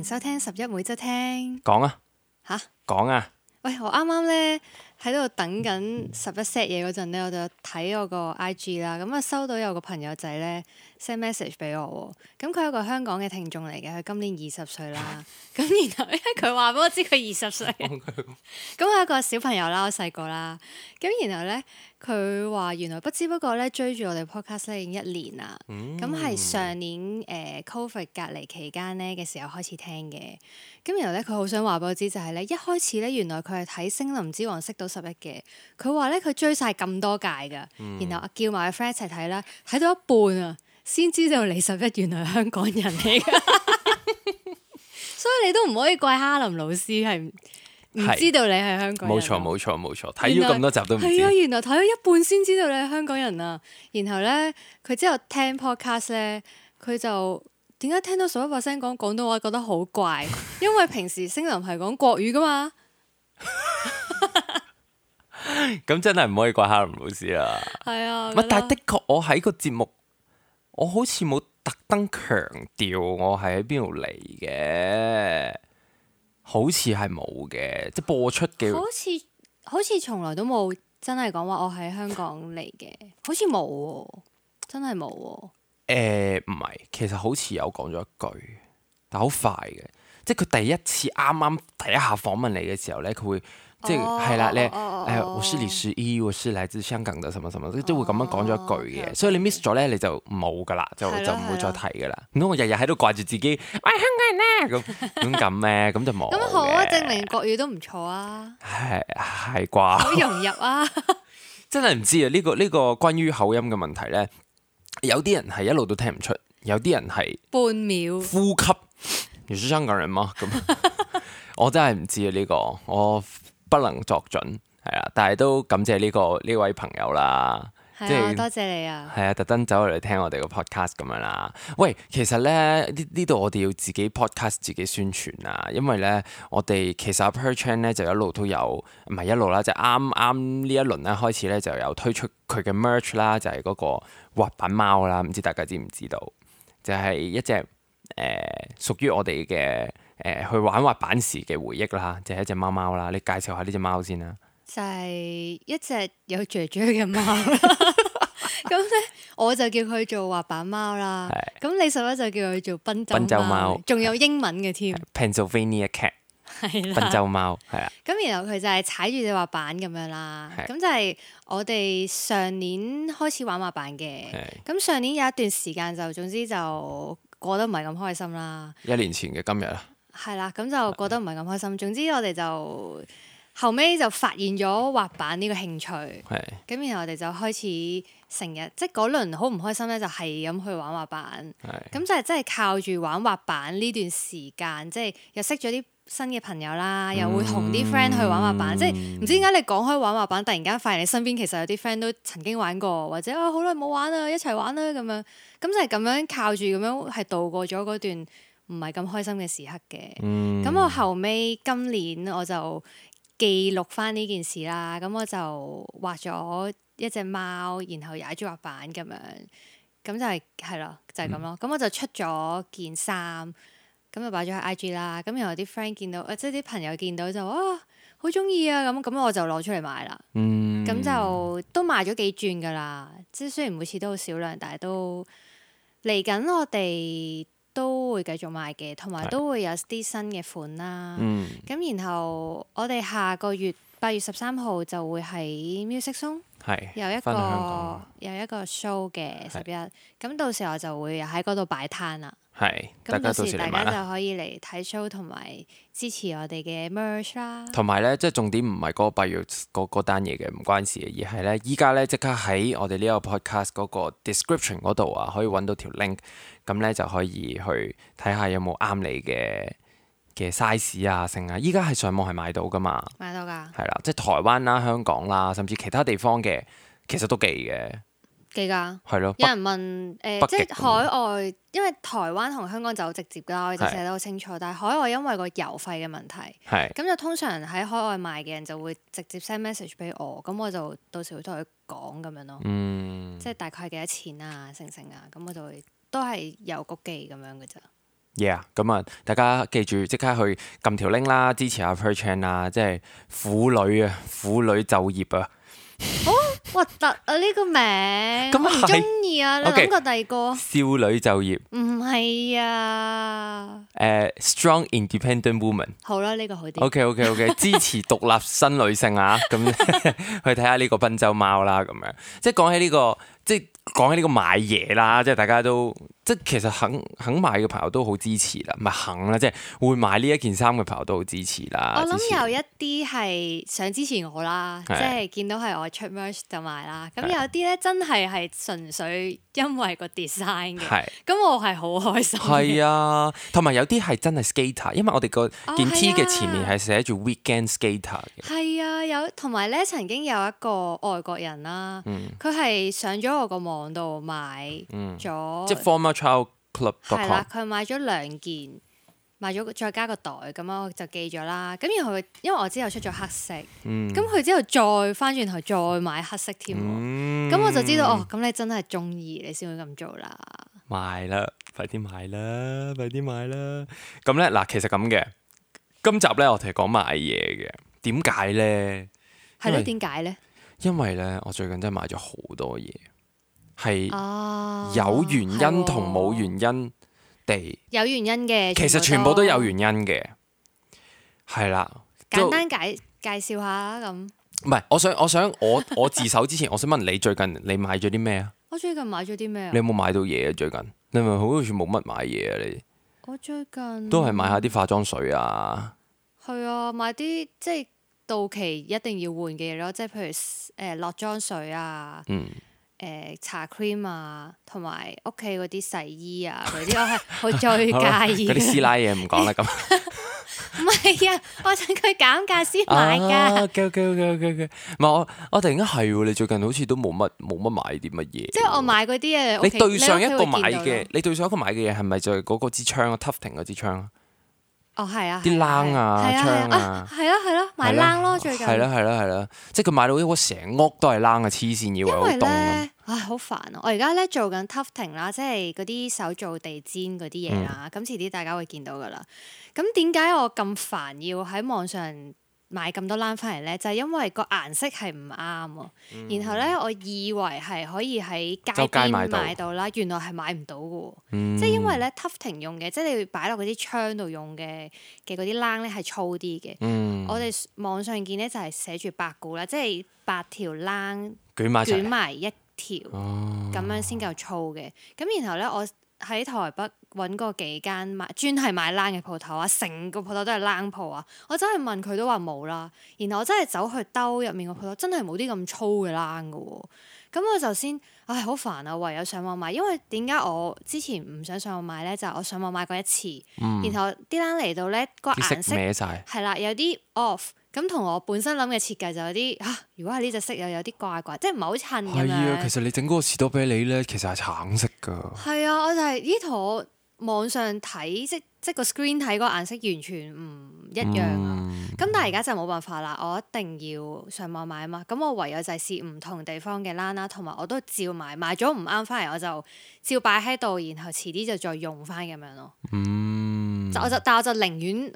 收聽11每週聽。講啊吓？講啊！喂，我啱啱咧喺度等緊11 set 嘢嗰陣咧，我就睇我個 IG 啦，咁啊收到有個朋友仔咧 send message 俾我喎，咁佢係一個香港嘅聽眾嚟嘅，佢今年20歲啦，咁然後因為佢話俾我知佢20歲，咁我係一個小朋友啦，我細個啦，咁然後咧佢話原來不知不覺咧追住我哋 podcast 咧已經1年啦，咁係上年COVID 隔離期間咧嘅時候開始聽嘅。咁然後咧，佢好想話俾我知就係咧，一開始咧原來佢係睇《星林之王》識到11嘅。佢話咧佢追晒咁多屆㗎，然後叫埋個 friend 一齊睇啦，睇到一半啊，先知道李11原來係香港人嚟㗎。所以你都唔可以怪哈林老師係唔知道你係香港人。冇錯，睇咗咁多集都唔知。係啊，原來睇咗一半先知道你係香港人啊。然後咧，佢之後聽 podcast 咧，佢就點解聽到11%講廣東話覺得好怪？因為平時星林係講國語噶嘛。咁真係唔可以怪哈林老師啦。係啊，但係的確我喺個節目，我好似冇特登強調我係喺邊度嚟嘅，好似係冇嘅，即係播出嘅。好似從來都冇真係講話我喺香港嚟嘅，好似冇喎，真係冇喎。唔係，其實好似有講咗一句，但好快嘅，即係佢第一次啱第一下訪問你嘅時候咧，佢會即係係啦，我是李十一，我是來自香港的什麼什麼，都會咁樣講咗一句嘅，所以你 miss 咗咧，你就冇噶啦，就唔會再提噶啦。唔通我日日喺度掛住自己，喂香港人咧咁咩？咁就冇。咁好啊，證明國語都唔錯啊。係啩？好融入啊！真係唔知啊！呢個關於口音嘅問題咧。有啲人係一路都聽唔出，有啲人係半秒呼吸。你是香港人嗎？咁我真係唔知啊！呢個我不能作準，係啊！但係都感謝呢位朋友啦，即係多謝你啊！係啊，特登走嚟聽我哋個 podcast 咁樣啦。喂，其實咧呢度我哋要自己 podcast 自己宣傳啊，因為咧我哋其實 Per Chan 咧就一路都有，唔係一路啦，就啱呢一輪咧開始咧就有推出佢嘅 merch 啦，就係嗰個滑板貓啦，唔知大家知唔知道？就係一隻屬於我哋嘅去玩滑板時嘅回憶啦，就係一隻貓貓啦。你介紹下呢隻貓先啦。就係一隻有雀雀嘅貓啦。咁咧，我就叫佢做滑板貓啦。咁李11就叫佢做賓州貓，仲有英文嘅添。Pennsylvania cat。係啦，賓州貓係啊。咁然後佢就係踩住隻滑板咁樣啦。咁就係我哋上年開始玩滑板嘅。咁上年有一段時間就總之就過得唔係咁開心啦。1年前嘅今日啊。係啦，咁就過得唔係咁開心。總之我哋就後尾就發現咗滑板呢個興趣。咁然後我哋就開始成日即係嗰輪好唔開心咧，就係咁去玩滑板。咁就係真係靠住玩滑板呢段時間，即係又識咗啲新嘅朋友啦，又會同啲 friend 去玩滑板，即係唔知點解你講開玩滑板，突然間發現你身邊其實有啲 friend 都曾經玩過，或者好耐冇玩啦，一齊玩啦咁樣，咁就係咁樣靠住咁樣係度過咗嗰段唔係咁開心嘅時刻嘅。咁我後尾今年我就記錄翻呢件事啦，咁我就畫咗一隻貓，然後踩住滑板咁樣，咁就係咯，就係咁咯。咁我就出咗件衫。咁就擺咗喺 IG 啦，咁然後啲 friend 見到，即係啲朋友見到就好中意啊，咁我就攞出嚟賣啦。咁就都賣咗幾轉噶啦，即係雖然每次都好少量，但係都嚟緊我哋都會繼續賣嘅，同埋都會有啲新嘅款啦。咁然後我哋下個月8月13號就會喺 Music Zone 有一個 show 嘅11，咁到時候就會喺嗰度擺攤啦。咁到時大家就可以嚟睇 show 同埋支持我哋嘅 merch 啦。同埋咧，即係重點唔係嗰個8月嗰單嘢嘅，唔關事嘅，而係咧依家咧即刻喺我哋呢個 podcast 嗰個 description 嗰度啊，可以揾到條 link，咁咧就可以去睇下有冇啱你嘅 size 啊，剩啊，依家係上網係買到噶嘛？買到㗎。係啦，即係台灣啦、香港啦，甚至其他地方嘅，其實都寄嘅。寄㗎，係咯。有人問即係海外，因為台灣同香港就好直接啦，我哋就寫得好清楚。但係海外因為個郵費嘅問題，咁就通常喺海外賣嘅人就會直接 send message 俾我，咁我就到時會同佢講咁樣咯。即係大概係幾多錢啊、成啊，咁我就會都係郵局寄咁樣嘅咋。Yeah， 咁啊，大家記住即刻去撳條 link 啦，支持下 Per Chan 啦，即係婦女就業啊！好核突啊！呢個名咁我唔中意啊！你諗過第二個？少女就業唔係啊！Strong Independent Woman。好啦，呢個好啲。OK， 支持獨立新女性啊！咁去睇下呢個賓州貓啦，咁樣即係講起呢個，即係講起呢個買嘢啦，即係大家都即係其實肯買嘅朋友都好支持啦，唔係肯啦，即係會買呢一件衫嘅朋友都好支持啦。我諗有一啲係想支持我啦，即係見到係我出 merch 就買啦。咁有啲咧真係純粹因為個 design 嘅，咁我係好開心。係啊，同埋有啲係真係 skater， 因為我哋個件 T 嘅前面係寫住 Weekend Skater 嘅。係啊，有同埋咧曾經有一個外國人啦，佢係上咗我個網度買咗，即係 Former Child Club。係啦，佢買咗2件，買咗再加個袋咁樣，我就寄咗啦。咁然後因為我之後出咗黑色，咁佢之後再翻轉頭再買黑色添，咁我就知道哦，咁你真係中意，你先會咁做啦。買啦，快啲買啦，快啲買啦。咁咧嗱，其實咁嘅，今集咧我哋講買嘢嘅，點解咧？係咯，點解咧？因為咧，我最近真係買咗好多嘢，係有原因同冇原因地。有原因嘅，其實全部都有原因嘅，係啦。簡單介紹下啦，咁。唔係，我自首之前，我想問你最近你買咗啲咩啊？我最近買咗啲咩啊？你有冇買到嘢啊？最近你咪好似冇乜買嘢啊？你我最近都係買下啲化妝水啊。係啊，買啲即係到期一定要換嘅嘢咯，即係譬如落妝水啊，搽 cream 啊，同埋屋企嗰啲洗衣啊嗰啲，我係好最介意。嗰啲師奶嘢唔講啦，咁。唔係啊，我趁佢減價先買㗎。OK。唔係我突然間係喎，你最近好似都冇乜買啲乜嘢。即係我買嗰啲嘢，你對上一個買嘅，嘢係咪就係嗰個支槍啊 ？Tufting 嗰支槍啊？哦，係啊，啲冷啊，槍啊，係咯，買冷咯最近。係啦，即係佢買到一個成屋都係冷嘅黐線，以為好凍咁。唉，好煩啊！我而家咧做緊 Tufting 啦，即係嗰啲手做地氈嗰啲嘢啦。咁遲啲大家會見到噶啦。咁點解我咁煩要喺網上買咁多冷翻嚟咧？就係因為個顏色係唔啱喎。然後咧，我以為係可以喺街邊買到啦，原來係買唔到嘅喎。即係因為咧 Tufting 用嘅，即係你擺落嗰啲窗度用嘅嗰啲冷咧係粗啲嘅。我哋網上見咧就係寫住8股啦，即係8條冷捲埋一條咁樣先夠粗嘅。咁然後咧，我喺台北揾過幾間專係賣冷嘅鋪頭啊，成個鋪頭都係冷鋪啊。我真係問佢都話冇啦。然後我真係走去兜入面個鋪頭，真係冇啲咁粗嘅冷㗎喎。咁我就先好煩啊，唯有上網買。因為點解我之前唔想上網買咧？就係我上網買過一次，然後啲冷嚟到咧個顏色係啦，有啲 off。咁同我本身諗嘅設計就有啲如果係呢隻色又有啲怪怪，即係唔係好襯咁樣。係啊，其實你整嗰個士多啤梨咧，其實係橙色㗎。係啊，我就係同我網上睇即個 screen 睇嗰個顏色完全唔一樣啊。咁但係而家就冇辦法啦，我一定要上網買啊嘛。咁我唯有就係試唔同地方嘅冷啦，同埋我都照買咗唔啱翻嚟，我就照擺喺度，然後遲啲就再用翻咁樣咯。但我就寧願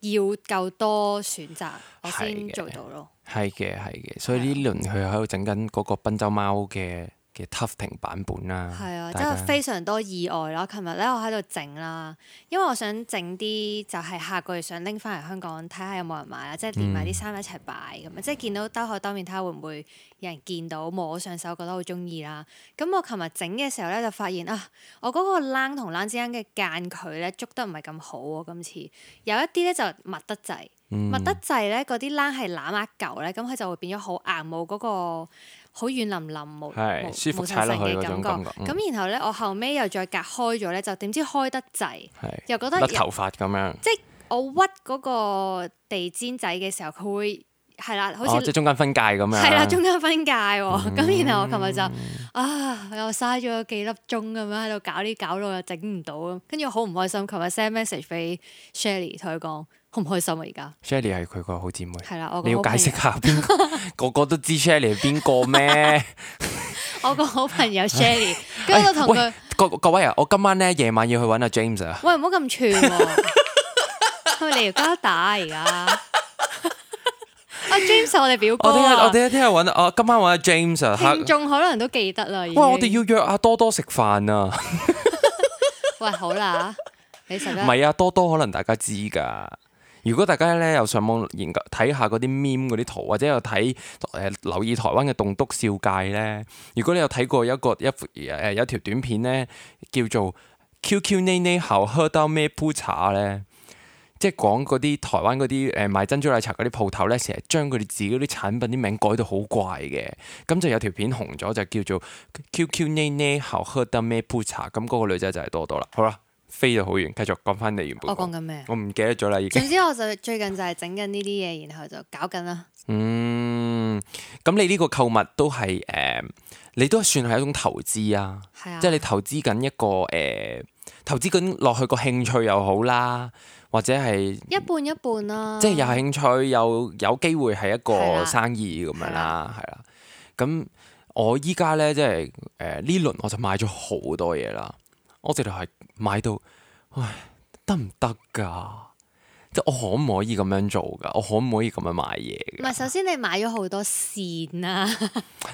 要夠多選擇，我先做到咯。係嘅，所以呢輪佢喺度整緊嗰個賓州貓嘅 Tufting 版本啦。係啊，真係非常多意外啦！琴日咧，我喺度整啦，因為我想整啲就係下個月想拎翻嚟香港睇下有冇人買啦，即係連埋啲衫一齊擺咁啊！即係見到兜口兜面睇下會唔會有人見到摸上手覺得好中意啦。咁我琴日整嘅時候咧就發現我嗰個冷同冷之間嘅間距咧捉得唔係咁好喎。今次有一啲咧就密得滯，密得滯咧嗰啲冷係攬一嚿咧，咁佢就會變咗好硬，冇嗰個好軟腍腍冇舒服踩落去嗰種感覺。咁然後咧，我後尾又再隔開咗咧，就點知開得滯，又覺得甩頭髮咁樣。即係我屈嗰個地氈仔嘅時候，佢會係啦，好似即係中間分界咁樣。係啦，中間分界喎。咁然後我琴日就又嘥咗幾粒鐘咁樣喺度搞到又整唔到，跟住我好唔開心。琴日 send message 俾 Shelly 同佢講。好唔開心啊！而家 Shelly 係佢個好姊妹，係啦，你要解釋下個個都知 Shelly 係邊個咩？我個好朋友 Shelly，跟住我同佢各位啊，我今晚咧夜晚要去揾阿 James 啊。喂，唔好咁串喎，係咪你條膠帶而家？阿 James 我哋表哥我哋聽日揾今晚揾阿 James 啊。聽眾可能都記得啦。喂，我哋要約阿多多食飯啊。喂，好啦，你實唔係啊，多多可能大家知㗎。如果大家咧有上網研究睇下嗰啲 meme 嗰啲圖，或者有睇留意台灣嘅棟篤笑界咧，如果你有睇過有條短片咧，叫做 QQ 奶奶好喝到咩鋪茶咧，即係講嗰啲台灣嗰啲賣珍珠奶茶嗰啲鋪頭咧，成日將佢哋自己啲產品啲名改到好怪嘅，咁就有條片紅咗，就叫做 QQ 奶奶好喝到咩鋪茶，咁嗰個女仔就係多多啦。好啦。飛到好遠，繼續講翻你原本。我講緊咩？我唔記得咗啦，已經。總之我就最近就係整緊呢啲嘢，然後就搞緊啦。咁你呢個購物都係你都算係一種投資啊。係啊。即係你投資緊一個投資緊落去個興趣又好啦，或者係一半一半啦。即係有興趣又有機會係一個生意咁樣啦，係啦。咁我依家咧即係呢輪我就買咗好多嘢啦。我直頭係買到，唉，得唔得㗎？即係我可唔可以咁樣做㗎？我可唔可以咁樣買嘢㗎？唔係，首先你買咗好多線啊！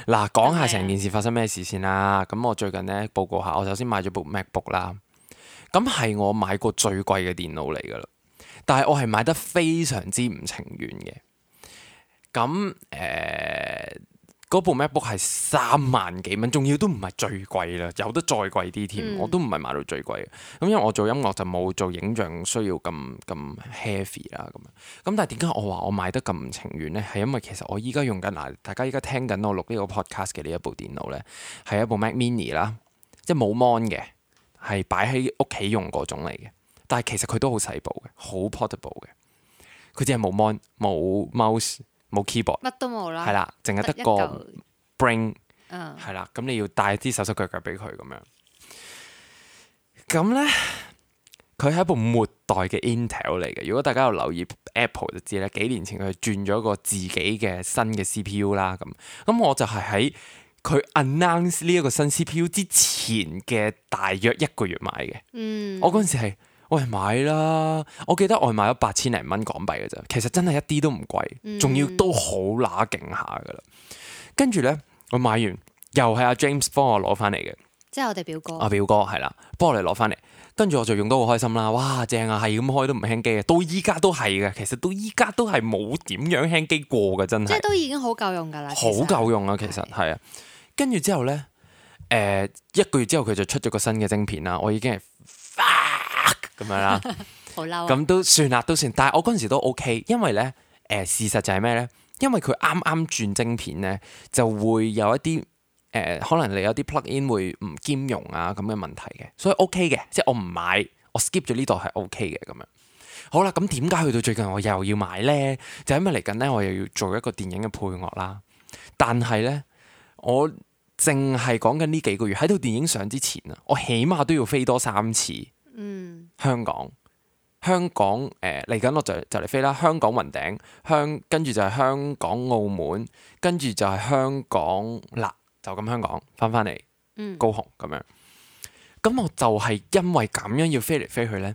嗱，講下成件事發生咩事先啦。咁我最近咧報告下，我首先買咗部 MacBook 啦。咁係我買過最貴嘅電腦嚟㗎啦。但係我係買得非常之唔情願嘅。咁嗰部 MacBook 係3萬幾蚊，仲要都唔係最貴啦，有得再貴啲添，我都唔係買到最貴嘅。咁因為我做音樂就冇做影像需要咁 heavy 啦，咁但係點解我話我買得咁唔情願呢？係因為其實我依家用緊嗱，大家依家聽緊我錄呢個 podcast 嘅呢一部電腦呢，係一部 Mac Mini 啦，即係冇 mon 嘅，係擺喺屋企用嗰種嚟嘅。但係其實佢都好細部嘅，好 portable 嘅。佢只係冇 mon 冇 mouse。冇 keyboard，乜都冇啦，係啦，淨係得個 brain，係啦，咁你要帶啲手手腳腳俾佢咁樣。咁咧，佢係一部末代嘅 Intel 嚟嘅。如果大家有留意 Apple 就知咧，幾年前佢轉咗個自己嘅新嘅 CPU 啦。咁我就係喺佢 announce 呢一個新 CPU 之前嘅大約1個月買嘅。我嗰陣時係。喂，買啦！我記得我係買咗8000零蚊港幣嘅啫，其實真係一啲都唔貴，仲要都好乸勁下噶啦。跟住咧，我買完又係阿 James 幫我攞翻嚟嘅，即係我哋表哥。阿表哥係啦，幫我哋攞翻嚟，跟住我就用得好開心啦！哇，正啊，係咁開都唔輕機嘅，到依家都係嘅。其實到依家都係冇點樣輕機過嘅，真係。即係都已經好夠用噶啦，好夠用啊！其實係啊，跟住之後咧，1個月之後佢就出咗個新嘅晶片啦，我已經係。咁樣啦，好嬲，咁都算啦，都算。但係我嗰陣時都 OK，因為咧，事實就係咩咧？因為佢啱啱轉晶片咧，就會有一啲可能你有啲 plug in 會唔兼容啊咁嘅問題嘅，所以 OK 嘅，即係我唔買，我 skip 咗呢度係 OK 嘅咁樣。好啦，咁點解去到最近我又要買咧？就因為嚟緊咧，我又要做一個電影嘅配樂啦。但係咧，我淨係講緊呢幾個月喺套電影上之前啊，我起碼都要飛多3次。香港嚟緊我就嚟飛啦。香港雲頂跟住就係香港澳門，跟住就係香港啦，就咁香港翻嚟高雄咁樣。咁我就係因為咁樣要飛嚟飛去呢，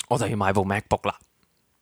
我就要買部 MacBook 啦，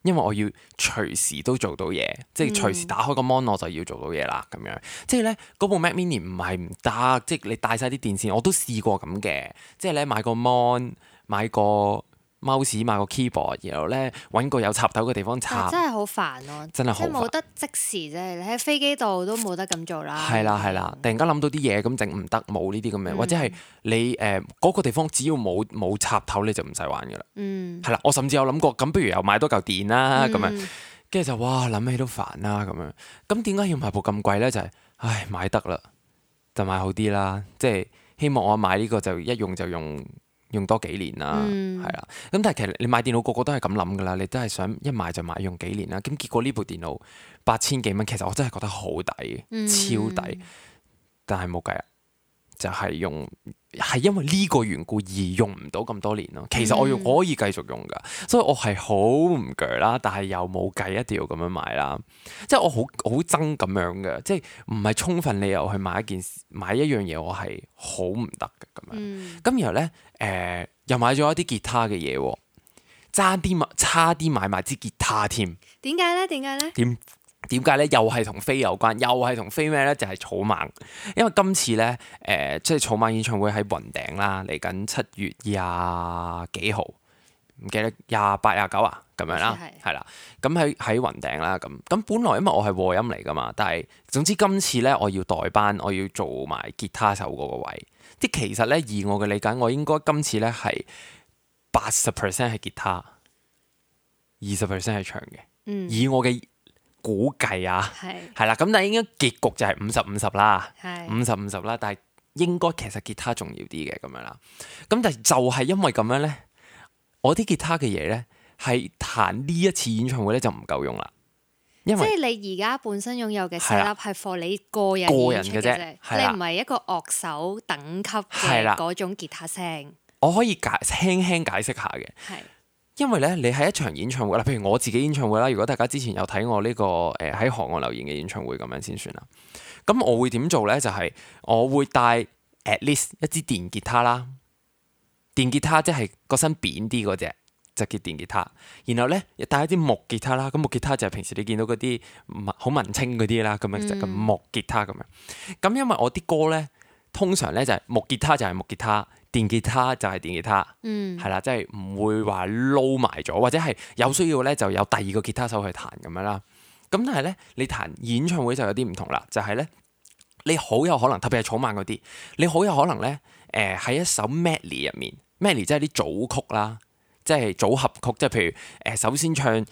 因為我要隨時都做到嘢，即係隨時打開個 mon 我就要做到嘢啦咁樣。即係呢，嗰部 Mac Mini 唔係唔得，即係你帶晒啲電線，我都試過咁嘅。即係咧買個 mon。買個 mouse 買個 keyboard，然後咧揾個有插頭嘅地方插，真係好煩咯！真係好煩，即係冇得即時啫，你喺飛機度都冇得咁做啦。係啦，突然間諗到啲嘢咁整唔得，冇呢啲咁嘅，或者係你嗰個地方只要冇插頭你就唔使玩噶啦。係啦，我甚至有諗過，咁不如又買多嚿電啦咁樣，跟住就哇諗起都煩啦咁樣。咁點解要買部咁貴咧？就係唉買得啦，就買好啲啦。即係希望我買呢個就一用就用多幾年啦，係啦。咁但係其實你買電腦個個都係咁諗噶啦，你都係想一買就買用幾年啦。咁結果呢部電腦8000幾蚊，其實我真係覺得好抵，超抵。但係冇計啊，就係係因為呢個緣故而用唔到咁多年咯。其實我可以繼續用噶，所以我係好唔鋸啦，但係又冇計，一定要咁樣買啦。即係我好憎咁樣嘅，即係唔係充分理由去買一樣嘢，我係好唔得嘅咁樣。咁然後咧又買咗一啲吉他嘅嘢，差啲買埋支吉他添。點解咧？點解咧？又係同飛有關，又係同飛咩咧？就係草蜢，因為今次咧即係草蜢演唱會喺雲頂啦，嚟緊7月20幾號，唔記得28、29啊咁樣啦，係啦。咁喺雲頂啦，咁本來因為我係和音嚟噶嘛，但係總之今次咧我要代班，我要做埋吉他手嗰個位。啲其實咧以我嘅理解，我應該今次咧係80% 係吉他，20% 係唱嘅。以我嘅估計啊，係啦，咁但係應該結局就係50-50啦，50-50啦，但係應該其實吉他重要啲嘅咁樣啦。咁但係就係因為咁樣咧，我啲吉他嘅嘢咧係彈呢一次演唱會咧就唔夠用啦。因為即係你而家本身擁有嘅 setup 係 for 你個人嘅啫，你唔係一個樂手等級嘅嗰種吉他聲。我可以輕輕解釋下嘅。因為咧，你喺一場演唱會啦，譬如我自己演唱會啦，如果大家之前有睇我呢個喺河岸留言嘅演唱會咁樣先算啦。咁我會點做咧？就係我會帶 at least 一支電吉他啦，電吉他即係個身扁啲嗰隻就叫電吉他。然後咧，帶一啲木吉他啦，咁木吉他就係平時你見到嗰啲好文青嗰啲啦，咁樣就咁木吉他咁樣。咁因為我啲歌咧，通常咧就係木吉他就係木吉他。電吉他就係電吉他，係啦，即係唔會話撈埋咗，或者係有需要咧就有第二個吉他手去彈咁樣啦。咁但係咧，你彈演唱會就有啲唔同啦，就係咧，你好有可能，特別係草蜢嗰啲，你好有可能咧，喺一首 medley 入面 ，medley 即係啲組曲啦，即係組合曲，即係譬如首先唱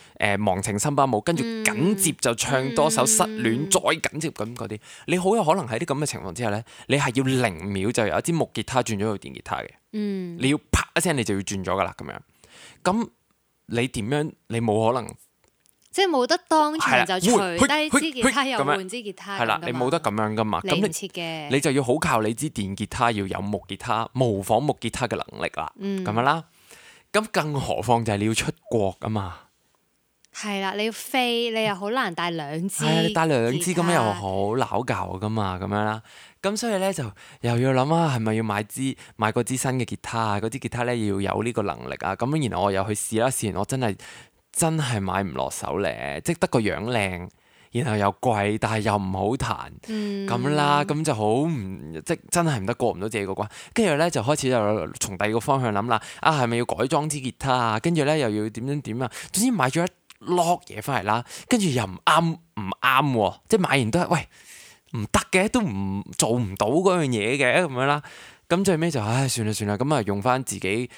忘情森巴舞，跟住緊接就唱多首失戀，再緊接咁嗰啲，你好有可能喺啲咁嘅情況之下咧，你係要0秒就由一支木吉他轉咗去電吉他嘅，你要啪一聲你就要轉咗噶啦咁樣，咁你點樣？你冇可能，即係冇得當場就除低支吉他又換支吉他，係啦，你冇得咁樣噶嘛，咁你唔切嘅，你就要好靠你支電吉他要有木吉他模仿木吉他嘅能力啦，咁樣啦。咁更何況就係你要出國啊嘛，係啦，你要飛，你又好難帶2支，你帶2支咁樣又好撈教噶嘛，咁樣啦。咁所以咧就又要諗啊，係咪要買嗰支新嘅吉他啊？嗰支吉他咧要有呢個能力啊。咁然後我又去試啦，試完我真係買唔落手咧，即係得個樣靚。然後又貴，但係又唔好彈咁啦，咁就好即真係唔得，過唔到自己個關。跟住咧就開始就從第二個方向諗啦，係咪要改裝支吉他啊？跟住咧又要點啊？總之買咗一碌嘢翻嚟啦，跟住又唔啱喎，即係買完都係喂唔得嘅，都唔做唔到嗰樣嘢嘅咁樣啦。咁最尾就算啦，咁啊用翻自己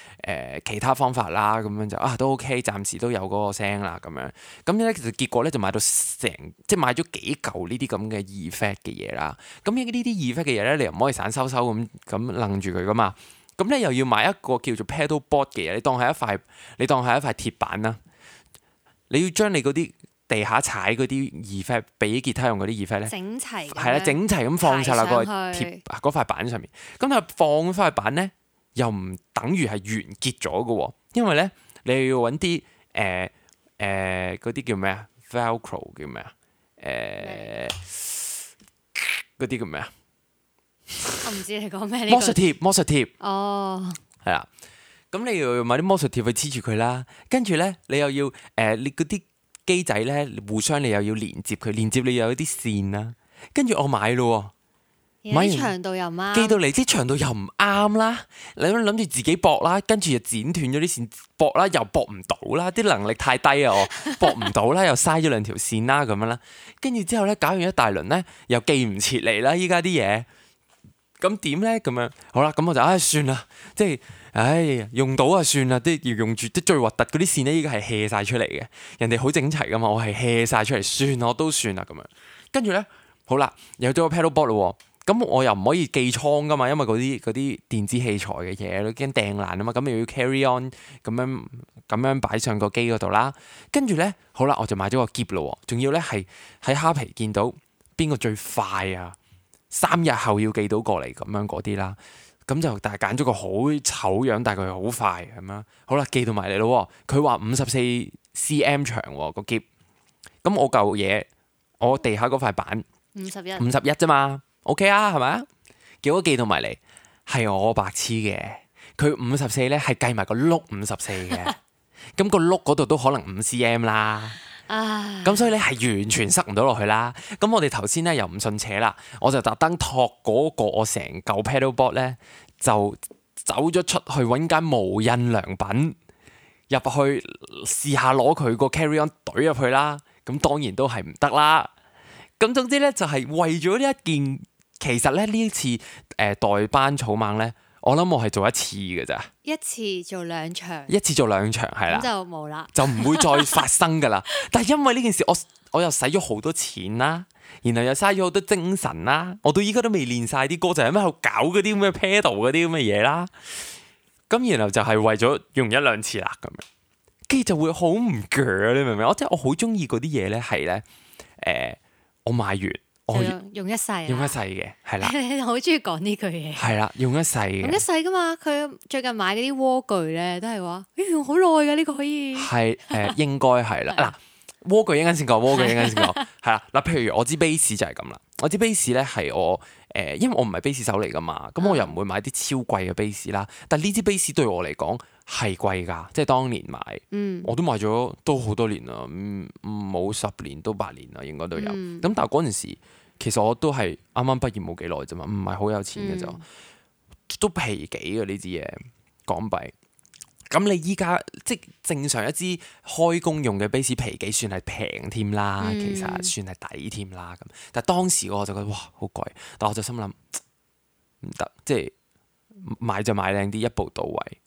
其他方法啦，咁樣就都 OK，暫時都有嗰個聲啦，咁樣。咁咧其實結果咧就買到即係買咗幾嚿呢啲咁嘅 effect 嘅嘢啦。咁呢啲 effect 嘅嘢咧，你又唔可以散收咁楞住佢噶嘛。咁咧又要買一個叫做 pedal board 嘅嘢，你當係一塊鐵板啦。你要將你嗰啲地下踩嗰啲 effect，俾吉他用嗰啲 effect 咧，整齊係啦，整齊咁放晒落個嗰塊板上面。咁但係放翻塊板咧，又唔等於係完結咗嘅喎，因為咧你要揾啲嗰啲叫咩啊 ？Velcro 叫咩啊？嗰啲叫咩啊？我唔知你講咩？魔術貼哦，係啦。咁你要買啲魔術貼去黐住佢啦，跟住咧你又要你嗰啲機仔咧互相你又要連接佢，連接你又有啲線啦，跟住我買咯，買完長度又唔啱，寄到嚟啲長度又唔啱啦，你諗住自己駁啦，跟住又剪斷咗啲線，駁啦又駁唔到啦，啲能力太低啊，我駁唔到啦，又嘥咗2條線啦咁樣啦，跟住之後咧搞完一大輪咧，又寄唔切嚟啦，依家啲嘢，咁點咧咁樣？好啦，咁我就算啦，即係。用到啊算啦，啲要用住啲最核突嗰啲線咧，依家係 hea 晒出嚟嘅。人哋好整齊噶嘛，我係 hea 晒出嚟，算我都算啦咁樣。跟住咧，好啦，有咗個 pedal board 咯，咁我又唔可以寄倉噶嘛，因為嗰啲電子器材嘅嘢都驚掟爛啊嘛，咁又要 carry on 咁樣擺上個機嗰度啦。跟住咧，好啦，我就買咗個篋咯，仲要咧係喺蝦皮見到邊個最快啊！ 3日後要寄到過嚟咁樣嗰啲啦。咁就但係揀咗個好醜樣，但係佢好快咁樣。好啦，寄到埋嚟咯。佢話54cm 長個篋。咁我嚿嘢，我地下嗰塊板51啫嘛。OK 啊，係咪啊？結果寄到埋嚟係我白痴嘅。佢54咧係計埋個碌54嘅。咁個碌嗰度都可能5cm 啦。咁所以咧係完全塞唔到落去啦。咁我哋頭先咧又唔信邪啦，我就特登托嗰個我成嚿 paddleboard 咧，就走咗出去揾間無印良品入去試下攞佢個 carry on 懟入去啦。咁當然都係唔得啦。咁總之咧就係為咗呢一件，其實咧呢次代班草蜢咧，我諗我係做一次嘅咋，一次做兩場係啦，咁就冇啦，就唔會再發生噶啦。但係因為呢件事，我又使咗好多錢啦，然後又嘥咗好多精神啦，我到依家都未練晒啲歌，就係喺度搞嗰啲咁嘅 pedal 嗰啲咁嘅嘢啦。咁然後就係為咗用1、2次啦咁樣，跟住就會好唔鋸，你明唔明？即係我好中意嗰啲嘢咧，係咧我買完。我用一世嘅，係啦。你好中意講呢句嘢。係啦，用一世嘅。用一世噶嘛？佢最近買嗰啲鍋具咧，都係話用好耐㗎，呢個可以。係應該係啦。嗱，鍋具一陣先講，係啦。嗱，譬如我支 bass 就係咁啦。我支 bass 咧係我因為我唔係 bass 手嚟噶嘛，咁我又唔會買啲超貴嘅 bass 啦。但呢支 bass 對我嚟講係貴㗎，即係當年買，我都買咗都好多年啦，冇10年都8年啦，應該都有。咁但係嗰陣時，其實我都係啱啱畢業冇幾耐啫嘛，唔係好有錢嘅就，都皮幾嘅呢支嘢港幣。咁你依家即正常一支開工用嘅 bass 皮幾算係平添啦，其實算係抵添啦咁。但係當時我就覺得哇好貴，但我就心諗唔得，即係買就買靚啲，一步到位。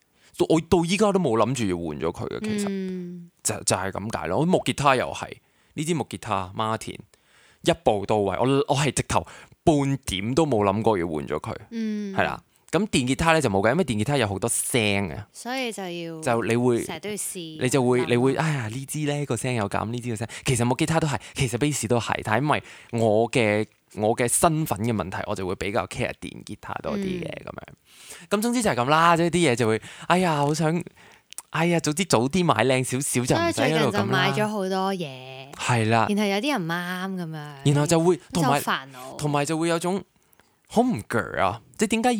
我到依家都冇諗住要換咗佢嘅，其實就係咁解咯。我木吉他又係呢支木吉他 Martin， 一步到位，我係直頭半點都冇諗過要換咗佢，係啦。咁電吉他咧就冇嘅，因為電吉他有好多聲啊，所以就你會成日都要試，你會哎呀呢支咧個聲有咁，呢支個聲其實木吉他都係，其實 bass 都係，但係因為我嘅身份嘅問題，我就會比較 care 電吉他多啲嘅咁樣。咁總之就係咁啦，即係啲嘢就會哎呀好想早啲買靚少少就唔使喺度咁啦。最近就買咗好多嘢，係啦，然後有啲人唔啱咁樣，然後就會同埋就會有種好唔鋸啊！即係點解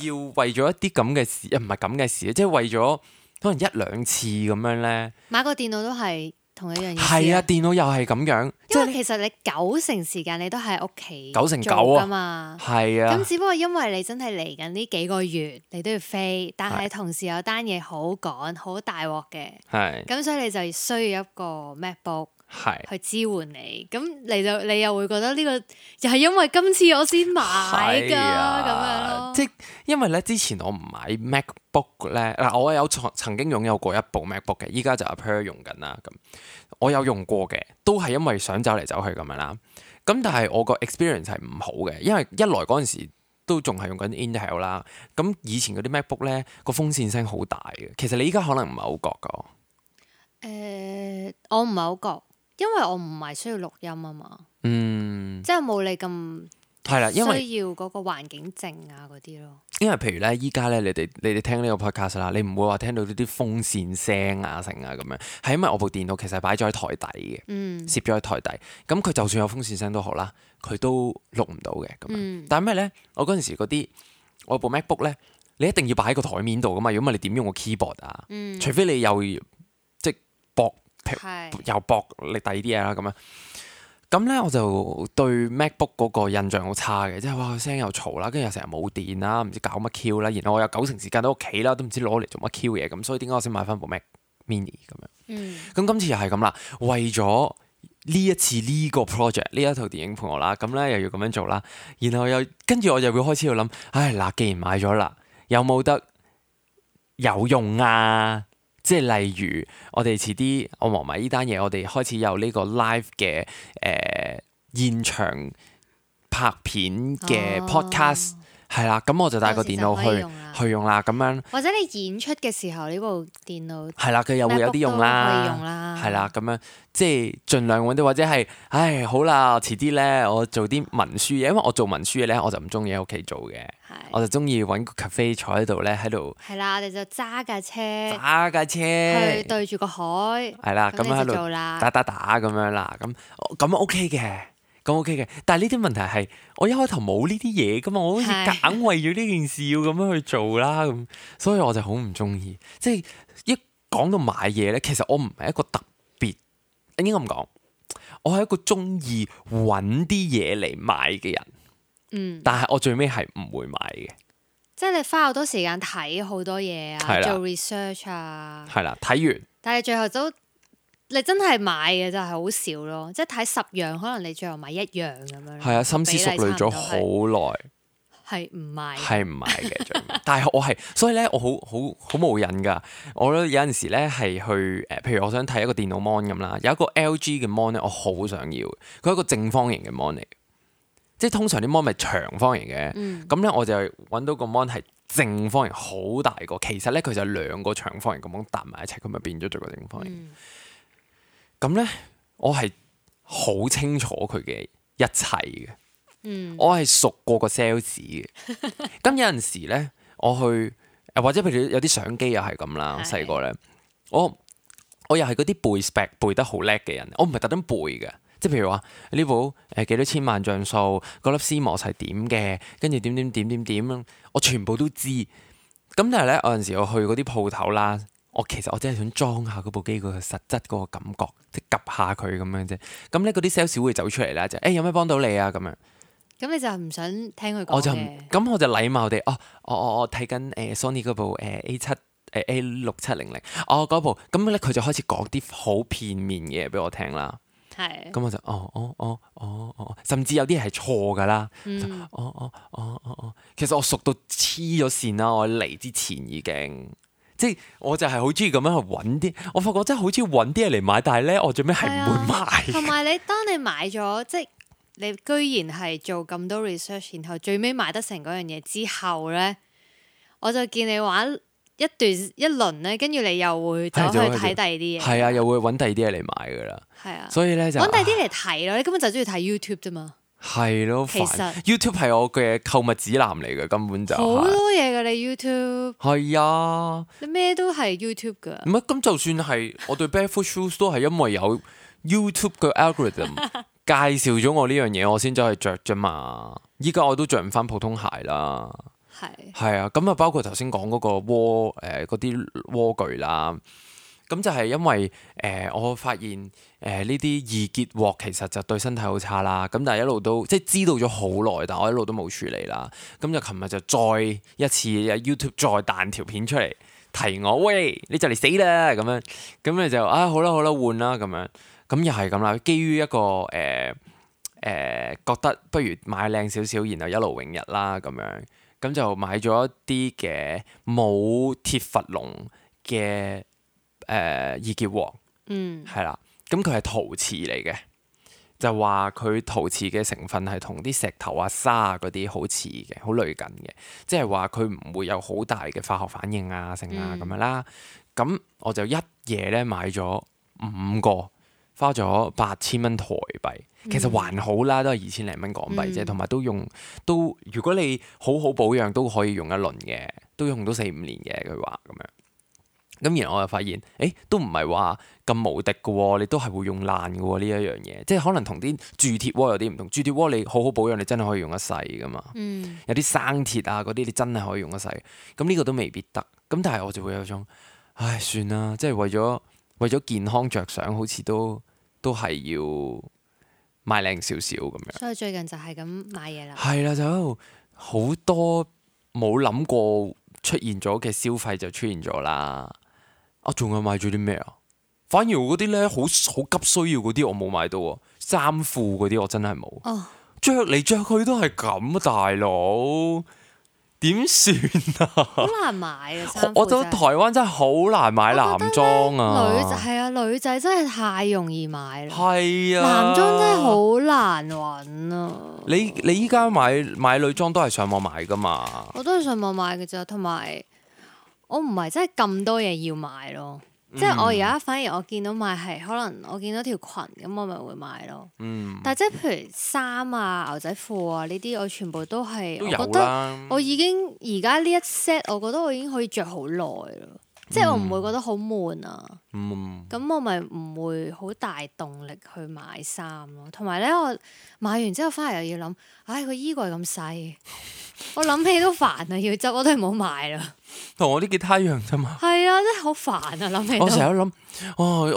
要為咗一啲咁嘅事，唔係咁嘅事，即係為咗可能1、2次咁樣咧。買個電腦都係同一樣嘢。係啊，電腦又係咁樣。因為其實你90%時間你都喺屋企9成9啊嘛。係啊。咁只不過因為你真係嚟緊呢幾個月，你都要飛，但係同時有單嘢好趕、好大鑊嘅。係。咁所以你就需要一個 MacBook。去支援你，咁你又會覺得呢個又係因為今次我先買㗎咁樣咯。即係因為咧之前我唔買 MacBook 咧，嗱我有曾經擁有過一部 MacBook 嘅，依家就阿 Per 用緊啦。咁我有用過嘅，都係因為想走嚟走去咁樣啦。咁但係我個 experience 係唔好嘅，因為一來嗰陣時都仲係用緊 Intel 啦。咁以前嗰啲 MacBook 咧個風扇聲好大嘅，其實你依家可能唔係好覺噶。我唔係好覺。因為我唔係需要錄音啊嘛，即係冇你咁係啦，因為需要嗰個環境靜啊嗰啲咯。因為譬如咧，依家咧，你哋聽呢個 podcast 啦，你唔會話聽到呢啲風扇聲啊、成啊咁樣，係因為我部電腦其實係擺咗喺台底嘅，攝咗喺台底。咁佢就算有風扇聲都好啦，佢都錄唔到嘅咁樣。但係咩咧？我嗰陣時嗰啲我部 MacBook 咧，你一定要擺喺個台面度噶嘛，如果唔係你點用個 keyboard 啊？除非你又即係駁。又薄力第二啲嘢啦咁樣，咁咧我就對 MacBook 嗰個印象好差嘅，即係哇個聲又嘈啦，跟住又成日冇電啦，唔知搞乜 Q 啦，然後我有90%時間喺屋企啦，都唔知攞嚟做乜 Q 嘢，咁所以點解我先買翻部 Mac Mini 咁樣？咁今次又係咁啦，為咗呢一次呢個 project 呢一套電影陪我啦，咁咧又要咁樣做啦，然後又跟住我又會開始要諗，唉嗱，既然買咗啦，有冇得有用啊？即係例如，我哋遲啲我忙埋呢單嘢，我哋開始有呢個 live 嘅現場拍片嘅 podcast，係啦，咁我就帶個電腦去用啦，咁樣。或者你演出嘅時候呢部電腦係啦，佢又會有啲用啦，係啦，咁樣即係盡量揾啲，或者係好啦，遲啲咧我做啲文書嘢，因為我做文書嘢咧我就唔中意喺屋企做嘅，我就中意揾個 cafe 坐喺度咧喺度。係啦，我哋就揸架車去對住個海，係啦，咁樣喺度打咁樣啦，咁 OK 嘅。咁 OK 嘅，但係呢啲問題係我一開頭冇呢啲嘢噶嘛，我好似硬為咗呢件事要咁樣去做啦，咁所以我就好唔中意。即係一講到買嘢咧，其實我唔係一個特別，應該咁講，我係一個中意揾啲嘢嚟買嘅人。但係我最尾係唔會買嘅。即係你花好多時間睇好多嘢啊，做 research 啊。係啦，睇完。但係最後你真係買嘅就係好少咯，即係睇10樣，可能你最後買1樣咁樣。係啊，深思熟慮咗好耐，係唔買嘅最尾。但係我係，所以咧我好冇癮㗎。我覺得有陣時咧係去譬如我想睇一個電腦 mon 咁啦，有一個 LG 嘅 mon 咧，我好想要。佢係一個正方形嘅 mon 嚟，即係通常啲 mon 咪長方形嘅。咁咧我就揾到個 mon 係正方形，好大個。其實咧佢就2個長方形咁樣搭埋一齊，佢咪變咗做個正方形。咁咧，我係好清楚佢嘅一切嘅，我係熟過個 sales 嘅。咁有陣時咧，我去或者譬如有啲相機又係咁啦，細個咧，我又係嗰啲背 spec 背得好叻嘅人，我唔係特登背嘅，即係譬如話呢部幾多千萬像素，嗰粒 CMOS 係點嘅，跟住點，我全部都知。咁但係咧，有陣時我去嗰啲鋪頭啦。其實我真係想裝下嗰部機個實質嗰個感覺，即係 𥄫 下佢咁樣啫。咁咧嗰啲 sales 會走出嚟啦，就有咩幫到你啊咁樣。咁你就唔想聽佢講嘅？咁我就禮貌地，我睇緊Sony 嗰部A6700，嗰部。咁咧佢就開始講啲好片面嘅嘢俾我聽啦。係。咁我就甚至有啲係錯㗎啦。其實我熟到黐咗線啦，我嚟之前已經。即係我就係好中意咁樣去揾啲，我發覺真係好中意揾啲嘢嚟買，但係咧我最尾係唔會買。同埋當你買咗，即係你居然係做咁多 research，然後最尾買得成嗰樣嘢之後咧，我就見你玩一輪咧，跟住你又會走去睇第二啲嘢。係啊，又會揾第二啲嘢嚟買噶啦。係啊，所以咧就揾第二啲嚟睇咯。你根本就中意睇 YouTube 啫嘛。係咯，其實 YouTube 係我嘅購物指南嚟嘅，根本就好多嘢噶。你 YouTube 係啊，你咩都係 YouTube 噶。唔係咁，就算係我對 Barefoot Shoes 都係因為有 YouTube 嘅 algorithm 介紹咗我呢樣嘢，我先走去着啫嘛。依家我都着唔翻普通鞋啦。係啊，咁啊包括頭先講嗰個嗰啲蝸具啦。咁就係因為我發現呢啲易結鑊其實就對身體好差啦。咁但係一路都即係知道咗好耐，但我一路都冇處理啦。咁就琴日就再一次 YouTube 再彈條片出嚟提我，喂，你就嚟死啦咁樣。咁你就好啦換啦咁樣。咁又係咁啦。基於一個覺得不如買靚少少，然後一勞永逸啦咁樣。咁就買咗一啲嘅冇鐵閥龍嘅。易結鑊，係啦，咁佢係陶瓷嚟嘅，就話佢陶瓷嘅成分係同啲石頭啊、沙啊嗰啲好似嘅，好類近嘅，即係話佢唔會有好大嘅化學反應啊、成啊咁樣啦。咁我就一夜咧買咗5個，花咗8000蚊台幣，其實還好啦，都係2000零蚊港幣啫，同埋都如果你好好保養都可以用一輪嘅，都用到4-5年嘅，佢話咁樣。咁然後我又發現，都唔係話咁無敵嘅喎，你都係會用爛嘅喎呢一樣嘢，即係可能同啲鑄鐵鍋有啲唔同。鑄鐵鍋你好好保養，你真係可以用一世噶嘛。有啲生鐵啊嗰啲，你真係可以用一世。咁呢個都未必得。咁但係我就會有種，唉，算啦，即係為咗健康着想，好似都係要買靚少少咁樣。所以最近就係咁買嘢啦。係啦，就好多冇諗過出現咗嘅消費就出現咗啦。仲有買咗啲咩啊？反而嗰啲咧好急需要嗰啲我冇買到喎，衫褲嗰啲我真係冇。着嚟着去都係咁啊，大佬點算啊？好難買啊！我覺得台灣真係好難買男裝啊。女仔真係太容易買啦。係啊，男裝真係好難揾啊。你依家買女裝都係上網買㗎嘛？我都係上網買嘅咋，同埋我唔係真係咁多嘢要買咯。即係我而家反而我見到買係可能我見到條裙咁，我咪會買咯。但係即係譬如衫啊、牛仔褲啊呢啲，我全部都係我覺得我已經而家呢一 set，我覺得我已經可以着好耐咯。即係我唔會覺得好悶啊。咁我咪唔會好大動力去買衫咯。同埋咧，我買完之後翻嚟又要諗，唉，個衣櫃咁細，我諗起都煩啊，要執我都係唔好買啦。同我啲吉他一樣啫嘛。係啊，真係好煩啊！諗起我成日都諗，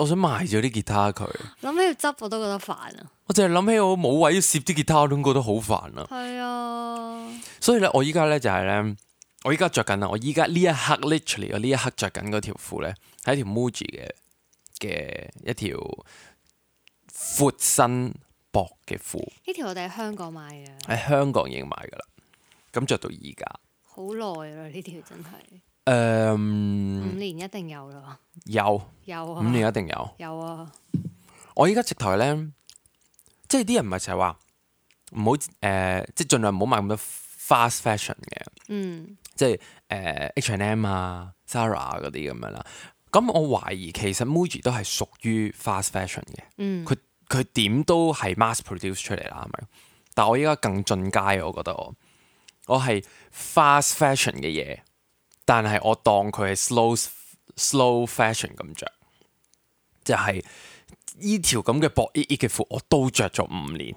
我想賣咗啲吉他佢。諗起要執我都覺得煩啊。我淨係諗起我冇位要攝啲吉他，我都覺得好煩啊。係啊。所以咧，我依家咧就係咧。我依家着緊啊！我依家呢一刻 literally 我呢一刻着緊嗰條褲咧，係一條 Muji 嘅一條闊身薄嘅褲。呢條我哋喺香港買嘅。喺香港已經買噶啦，咁着到而家。好耐啦！呢條真係。5年一定有啦。有啊。5年一定有。有啊。我依家直頭咧，即係啲人唔係成日話唔好即係盡量唔好買咁多 fast fashion 嘅。即係H&M 啊、Zara 嗰啲咁樣啦。咁我懷疑其實 Muji 都係屬於 fast fashion 嘅。佢點都係 mass produce 出嚟啦，係咪？但我依家更進階，我覺得我係 fast fashion 嘅嘢，但係我當佢係 slow fashion 咁着，就係呢條咁嘅薄嘅褲我都着咗5年。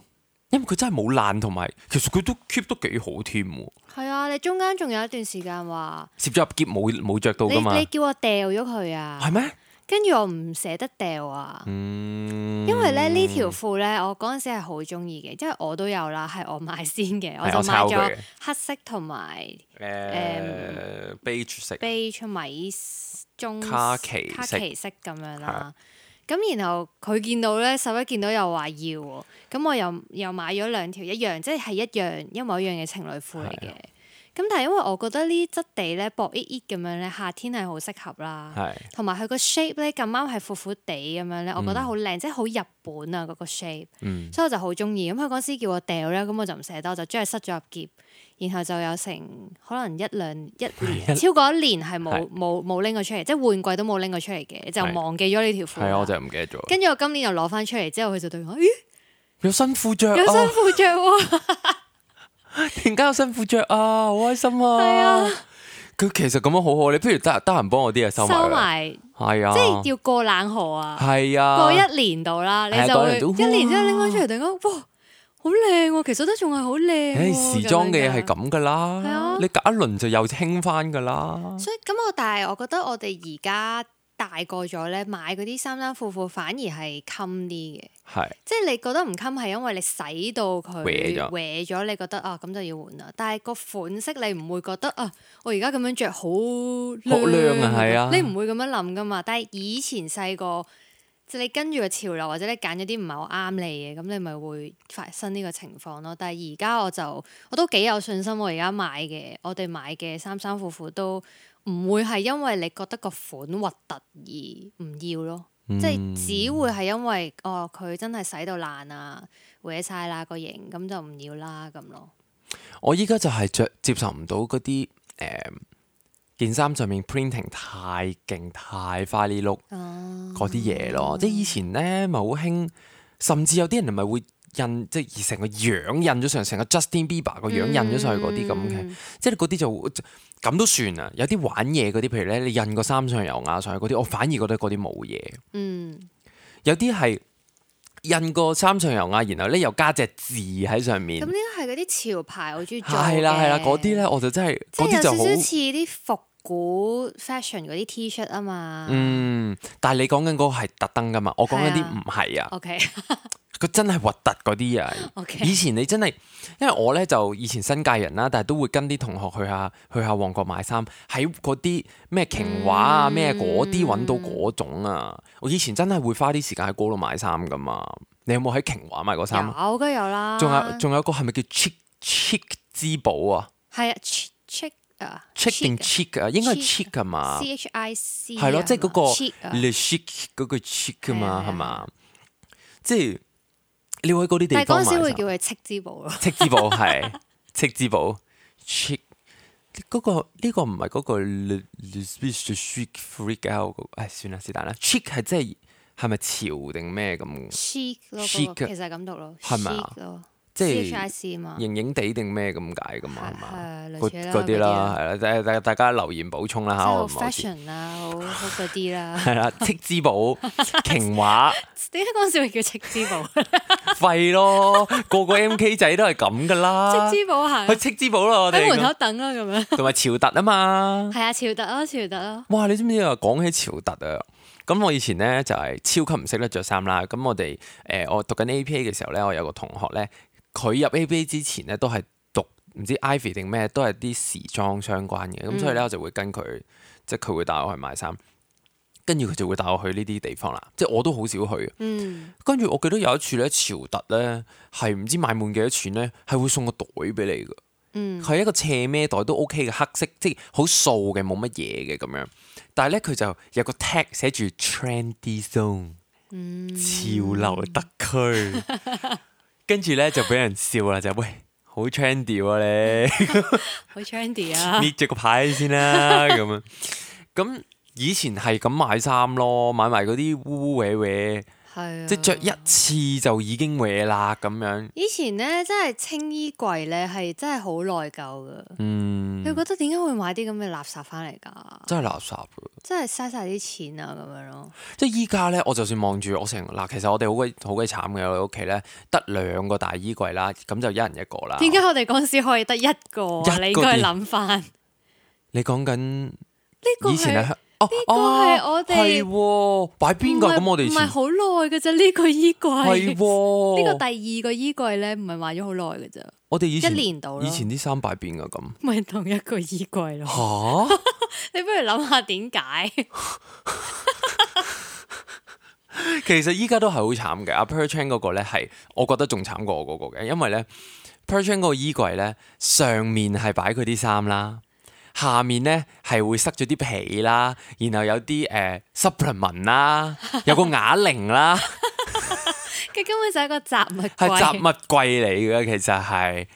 因為佢真係冇爛，同埋其實佢都 keep 得幾好添喎。係啊，你中間仲有一段時間話攝咗入喼冇着到噶嘛？你叫我掉咗佢啊？係咩？跟住我唔捨得掉啊。因為咧呢條褲咧，我嗰陣時係好中意嘅，因為我都有啦，係我買先嘅，我就買咗黑色同埋beige 米棕卡其色咁樣啦。咁然後佢見到咧，11見到又話要喎，咁我又買咗2條一樣，即係一模一樣嘅情侶褲嚟嘅。咁但係因為我覺得呢啲質地咧薄咁樣咧，夏天係好適合啦。同埋佢個 shape 咧咁啱係闊闊地咁樣咧，我覺得好靚，即係好日本啊嗰個 shape。所以我就好中意。咁佢嗰時叫我掉咧，咁我就唔捨得，我就將佢塞咗入喼。然後就有成可能1年超過1年係冇拎過出嚟，即係換季都冇拎過出嚟嘅，就忘記咗呢條褲。係啊，我就唔記得咗。跟住我今年又攞翻出嚟之後，佢就對我：咦，有新褲着，有新褲着喎！突然間有新褲着啊，好開心啊！係啊，佢其實咁樣好好，你不如得閒幫我啲嘢收埋。係啊，即係要過冷河啊！係啊，過1年度啦，你就會1年之後拎翻出嚟，突然間哇！好靚喎，其實都仲係好靚喎。時裝嘅嘢係咁噶啦，你隔一輪就又興翻噶啦。所以咁但係我覺得我哋而家大個咗咧，買嗰啲衫褲反而係襟啲嘅。即係你覺得唔襟係因為你洗到佢歪咗，你覺得啊咁就要換啦。但係個款式你唔會覺得啊，我而家咁樣着好靚啊，係啊，你唔會咁樣諗噶嘛。但係以前細個。即係你跟住個潮流，或者你揀咗啲唔係好啱你嘅，咁你咪會發生呢個情況咯。但係而家我都幾有信心，我哋買嘅衫褲都唔會係因為你覺得個款核突而唔要咯。即係只會係因為佢真係洗到爛啊，毀晒啦個型，咁就唔要啦咁咯。我依家就係接受唔到嗰啲件衫上面 printing 太勁太花呢碌嗰啲嘢咯，即係以前咧咪好興，甚至有啲人咪會印即係成個樣印咗上，成個 Justin Bieber 個樣印咗上去嗰啲咁嘅，即係嗰啲就咁都算啊。有啲玩嘢嗰啲，譬如咧你印個三上悠亞上去嗰啲，我反而覺得嗰啲冇嘢。有啲係印個三上悠亞，然後咧又加隻字喺上面。咁呢個係嗰啲潮牌好中意做嘅。係啦，嗰啲咧我就真係嗰啲就好似啲復古 fashion 嗰啲 T-shirt 啊嘛，但係你講緊嗰個係特登噶嘛，我講緊啲唔係啊。OK，佢真係核突嗰啲啊。Okay. 以前你真係，因為我咧就以前新界人啦，但係都會跟啲同學去下旺角買衫，喺嗰啲咩瓊華啊咩嗰啲揾到嗰種啊。我以前真係會花啲時間喺嗰度買衫噶嘛。你有冇喺瓊華買過衫？有，梗係有啦。仲有個係咪叫 Chic 之寶啊？係啊，Chic。chic 定 chic 啊，應該係 chic 啊嘛，CHIC 係咯，即係嗰個 le chic 嗰個 chic 啊嘛，係嘛？即係你會喺嗰啲地方買衫。但係嗰陣時會叫佢戚之寶咯。戚之寶係戚之寶 chic 嗰個呢個唔係嗰個 chic freak out 嗰個，算啦是但啦。chic 係即係咪潮定咩咁 chic 咯，其實係咁讀咯，係咪啊？即係型型地定咩咁解噶嘛？係嘛？嗰啲啦，係啦，大家留言補充啦嚇。好 fashion 啦，好嗰啲啦。係啦，戚之寶瓊華。點解嗰陣時會叫戚之寶？廢咯，個個 MK 仔都係咁噶啦。戚之寶係。去戚之寶咯，我哋喺門口等啦咁樣。同埋潮特啊嘛。係啊，潮特咯，潮特咯。哇！你知唔知啊？講起潮特啊，咁我以前咧就係超級唔識得着衫啦。咁我讀緊 APA 嘅時候咧，我有個同學咧。佢入 ABA 之前咧，都係讀唔知 Ivy 定咩，都係啲時裝相關嘅。咁所以咧，我就會跟佢，即係佢會帶我去買衫，跟住佢就會帶我去呢啲地方啦。即係我都好少去。跟住我記得有一次咧，潮特咧係唔知買滿幾多錢咧，係會送個袋俾你㗎。係一個斜孭袋都 OK 嘅黑色，即係好素嘅，冇乜嘢嘅咁樣。但係咧，佢就有個 tag 寫住 Trendy Zone，潮流特區。跟住咧就俾人笑啦，就喂好 trendy 喎你，好 trendy 啊！搣咗個牌先啦咁樣。咁以前係咁買衫咯，買埋嗰啲污污歪歪，即係着一次就已經歪啦咁樣。以前咧真係清衣櫃咧係真係好內疚噶。你覺得點解會買啲咁嘅垃圾翻嚟㗎？真係垃圾㗎！真係嘥晒啲錢啊咁樣咯。即係依家咧，我就算望住我成嗱，其實我哋好鬼慘嘅，我哋屋企咧得2個大衣櫃啦，咁就一人一個啦。點解我哋嗰陣時可以得一個？你應該諗翻。你講緊呢個以前係呢個係我哋係擺邊㗎？咁我哋唔係好耐嘅啫，呢個衣櫃係呢個第二個衣櫃咧，唔係買咗好耐嘅咋。我哋以前1年度咯。以前啲衫擺邊㗎咁？咪同一個衣櫃咯。嚇！你不如諗下點解？其實依家都係好慘嘅。阿 Per Chan 嗰個咧係，我覺得仲慘過我嗰個嘅，因為咧 Per Chan 嗰個衣櫃咧上面係擺佢啲衫啦，下面咧係會塞咗啲皮啦，然後有啲supplement 啦，有個啞鈴啦。佢根本就係一個雜物櫃，係雜物櫃嚟嘅，其實係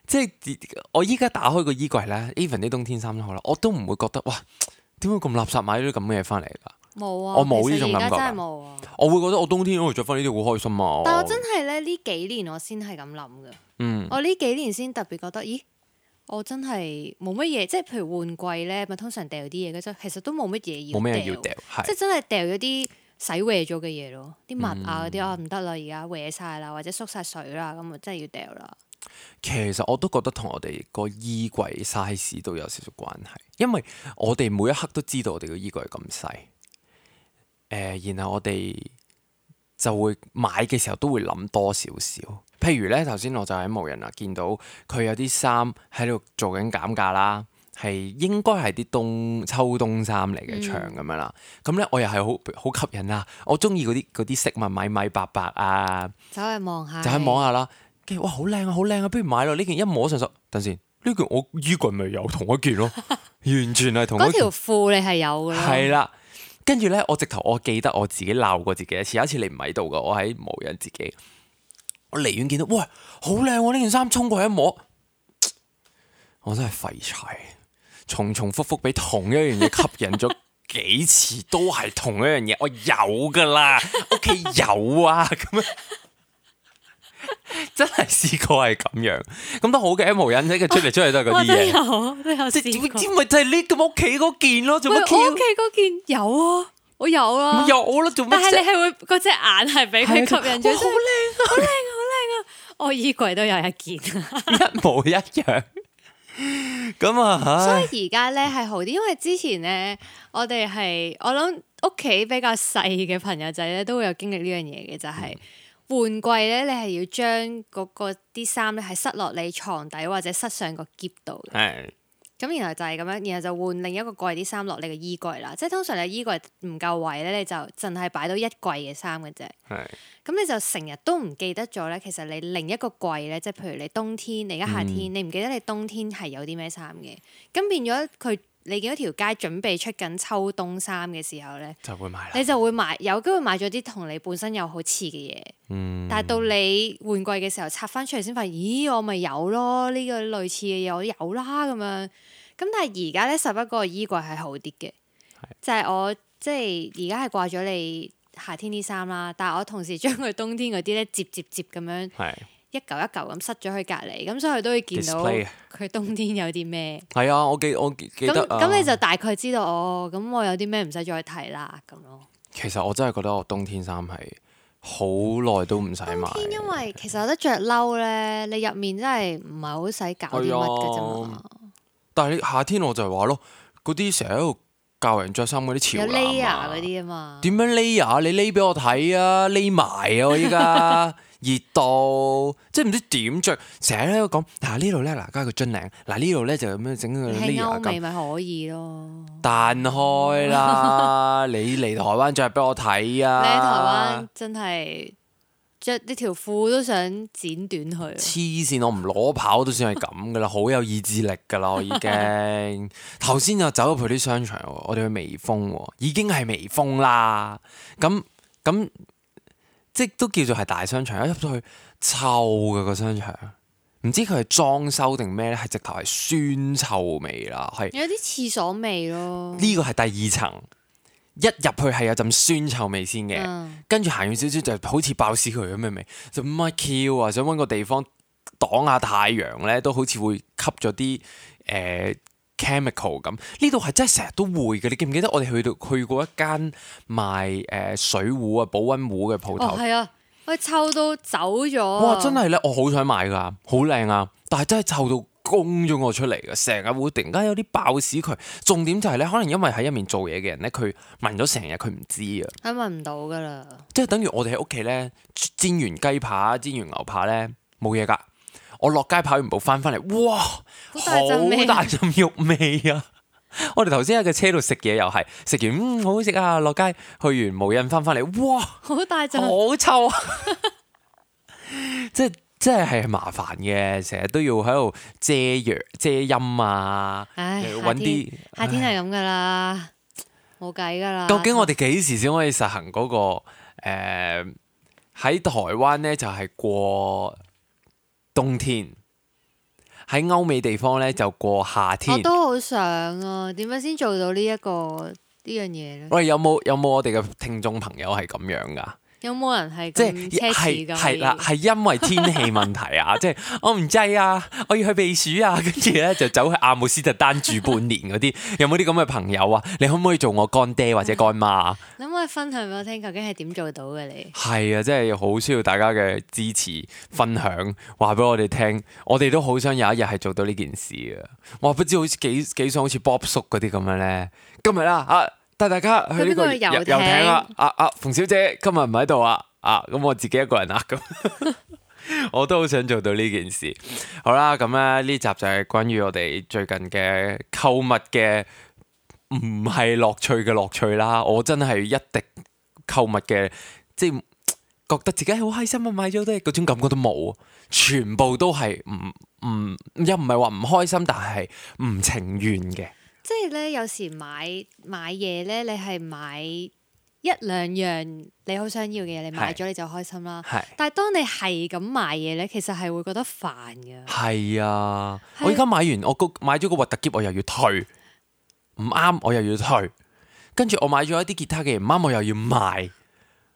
即係我依家打開個衣櫃咧 ，even 啲冬天衫都好啦，我都唔會覺得哇，點解咁垃圾買咗啲咁嘅嘢翻嚟㗎？冇啊，我冇呢種感覺。真係冇啊！我會覺得我冬天都會着翻呢啲好開心啊！但我真係咧呢幾年我先係咁諗嘅。我呢幾年先特別覺得，咦，我真係冇乜嘢，即係譬如換季咧，咪通常掉啲嘢嘅啫，其實都冇乜嘢要掉。冇咩要掉，即係真係掉咗啲洗壞咗嘅嘢咯，啲襪啊嗰啲啊唔得啦，而家壞晒啦，或者縮晒水啦，咁啊真係要掉啦。其實我都覺得同我哋個衣櫃 size 都有少少關係，因為我哋每一刻都知道我哋個衣櫃係咁細。然後我哋就會買嘅時候都會諗多少少，譬如咧頭先我就喺無人啊見到佢有啲衫喺度做緊減價啦，係應該係啲秋冬衫嚟嘅長咁樣啦，咁咧我又係好吸引啦，我中意嗰啲色咪米米白白啊，走去望下，就去望下啦，跟住哇好靚啊好靚啊，不如買咯，呢件一摸上手，等先呢件我衣櫃咪有同一件咯，完全係同一件。嗰條褲你係有嘅咯，係啦。跟住咧，我記得我自己鬧過自己一次。有一次你唔喺度噶，我喺無人自己，我離遠見到，喂，好靚喎！呢件衫衝過去一摸，我真係廢柴，重重複複俾同一樣嘢吸引咗幾次，都係同一樣嘢，我有噶啦，屋企有啊，咁樣真係試過係咁樣，咁都好嘅，無人啫，佢出嚟都係嗰啲嘢，都有試過。點咪就係呢咁屋企嗰件咯，做乜？我屋企嗰件有啊，我有啦，有啦，做乜？但係你係會嗰隻眼係俾佢吸引咗，好靚啊，好靚啊，好靚啊！我衣櫃都有一件，一模一樣。咁啊，所以而家咧係好啲，因為之前咧我諗屋企比較細嘅朋友仔咧都會有經歷呢樣嘢嘅，就係。換季咧，你係要將嗰啲衫咧係塞落你床底或者塞上個篋度嘅。係。咁然後就係咁樣，然後就換另一個櫃啲衫落你個衣櫃啦。即係通常你衣櫃唔夠位咧，你就淨係擺到一櫃嘅衫嘅啫。係。咁你就成日都唔記得咗咧，其實你另一個櫃咧，即係譬如你冬天，你而家夏天，你唔記得你冬天係有啲咩衫嘅。咁變咗佢你見到條街準備出緊秋冬衫嘅時候咧，就會買啦。你就會買，有機會買咗啲同你本身有好似嘅嘢。但係到你換季嘅時候拆翻出嚟先發現，咦，我咪有咯，呢個類似嘅嘢我有啦咁樣。咁但係而家咧11個衣櫃係好啲嘅，就係我即係而家係掛咗你夏天啲衫啦，但係我同時將佢冬天嗰啲咧摺咁樣。一嚿一嚿咁塞咗去隔離，咁所以佢都會見到佢冬天有啲咩。係啊，我記得咁你就大概知道咁我有啲咩唔使再睇啦咁咯。其實我真係覺得我冬天衫係好耐都唔使買。冬天因為其實有得着褸咧，你入面真係唔係好使搞啲乜嘅啫嘛。但係你夏天我就係話咯，嗰啲成日喺度教人着衫嗰啲潮男有 layer 嗰啲啊嘛。點樣 layer？你匿俾我睇啊！匿埋啊！我依家。熱到即係唔知點着，成日喺度講嗱呢度咧嗱加個樽領，嗱呢度咧就咁樣整個 layer 咁。歐美咪可以咯。彈開啦！你嚟台灣着俾我睇啊！你喺台灣真係着呢條褲都想剪短佢。黐線！我唔攞跑都算係咁噶啦，好有意志力噶啦，我已經。頭先就走入去啲商場，我哋去微風，已經係微風啦。咁。即都叫做係大商場，一入到去臭嘅個商場，唔知佢係裝修定咩咧？係直頭係酸臭味啦，係有啲廁所味咯。呢個係第2層，一入去係有陣酸臭味先嘅，跟住行遠少少就好似爆屎渠咁嘅味，就唔係 Q 啊！想揾個地方擋下太陽咧，都好似會吸咗啲chemical 咁，呢度係真係成日都會嘅。你記唔記得我哋去過一間賣水壺啊、保溫壺嘅鋪頭？係啊，佢臭到走咗。哇！真係咧，我好想買㗎，好靚啊！但係真係臭到攻咗我出嚟嘅，成日會突然間有啲爆屎渠。重點就係咧，可能因為喺入面做嘢嘅人咧，佢聞咗成日，佢唔知啊。佢聞唔到㗎啦。即係等於我哋喺屋企咧煎完雞扒、煎完牛扒咧冇嘢㗎。我落街跑完步翻嚟，哇！好大陣肉味啊！我哋頭先喺個車度食嘢又係食完好好食啊！落街去完無印翻嚟，哇！好大陣，好臭啊！即係麻煩嘅，成日都要喺度遮陰啊！揾啲夏天係咁噶啦，冇計噶啦。究竟我哋幾時先可以實行嗰個喺台灣咧就係過冬天，喺歐美地方咧就過夏天。我都好想啊，點樣先做到呢樣嘢咧？喂，有冇我哋嘅聽眾朋友係咁樣噶？有冇人係咁奢侈㗎？係啦，係因為天氣問題啊，即係我唔制啊，我要去避暑啊，跟住咧就走去阿姆斯特丹住半年嗰啲，有冇啲咁嘅朋友啊？你可唔可以做我乾爹或者乾媽啊？你可唔可以分享俾我聽，究竟係點做到嘅你？係啊，真係好需要大家嘅支持分享，話俾我哋聽，我哋都好想有一日係做到呢件事啊！我不知好似幾想好似 Bob 叔嗰啲咁樣咧，今日啦帶大家去呢個遊艇啊！馮小姐今日唔喺度啊！咁我自己一個人啊，咁我都好想做到呢件事。好啦，咁咧呢集就係關於我哋最近嘅購物嘅唔係樂趣嘅樂趣啦。我真係一滴購物嘅，即係覺得自己好開心啊！買咗都係嗰種感覺都冇，全部都係又唔係話唔開心，但係唔情願嘅。即係咧，有時買嘢咧，你係買1-2樣你好想要嘅嘢，你買咗你就開心啦。但係當你係咁買嘢咧，其實係會覺得煩㗎。係啊，我而家買完，我買咗個核突喼，我又要退，唔啱我又要退，跟住我買咗一啲吉他嘅唔啱，我又要賣，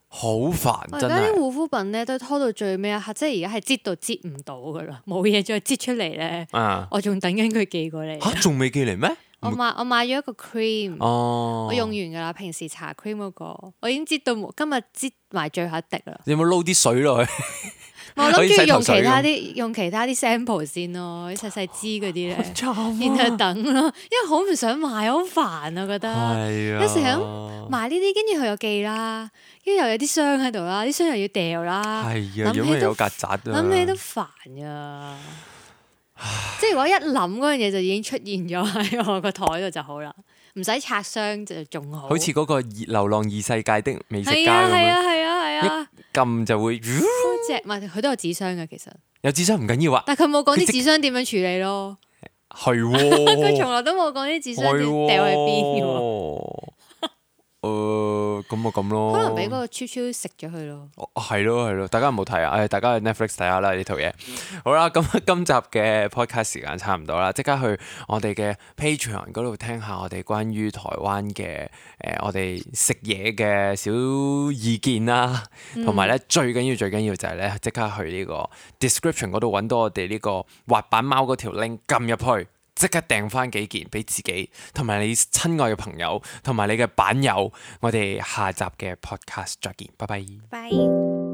好煩真係。而家啲護膚品咧都拖到最尾一刻，即係而家係擠到擠唔到噶啦，冇嘢再擠出嚟咧。我仲等緊佢寄過嚟。嚇，仲未寄嚟咩？我買咗一個 cream，我用完噶啦。平時搽 cream 嗰個，我已經擠到今日擠埋最後一滴啦。你有冇撈啲水落去？我諗住用其他啲 sample 先咯，啲細細支嗰啲咧，然後等咯，因為好唔想買，好煩啊，覺得。有時咁買呢啲，跟住佢又寄啦，跟住又有啲箱喺度啦，啲箱又要掉啦。係啊，因為有曱甴啊。諗起都煩啊！即係如果一諗嗰樣嘢就已經出現咗喺我個台度就好啦，唔使拆箱就仲好。好似嗰個流浪異世界的美食家咁樣，係啊，一撳就會。唔係佢都有紙箱嘅，其實有紙箱唔緊要啊，但係佢冇講啲紙箱點樣處理咯。係喎，佢從來都冇講啲智商掉去邊喎。咁咪咁咯。可能俾嗰個超超食咗佢咯。係咯，大家有冇睇啊？大家去 Netflix 睇下啦呢套嘢。好啦，咁今集嘅 podcast 時間差唔多啦，即刻去我哋嘅 Patreon 嗰度聽下我哋關於台灣嘅我哋食嘢嘅小意見啦，同埋咧最緊要就係咧即刻去呢個 description 嗰度揾到我哋呢個滑板貓嗰條 link 撳入去。即刻訂翻幾件俾自己，同埋你親愛嘅朋友，同埋你嘅版友。我哋下集嘅 podcast 再見，拜拜。拜。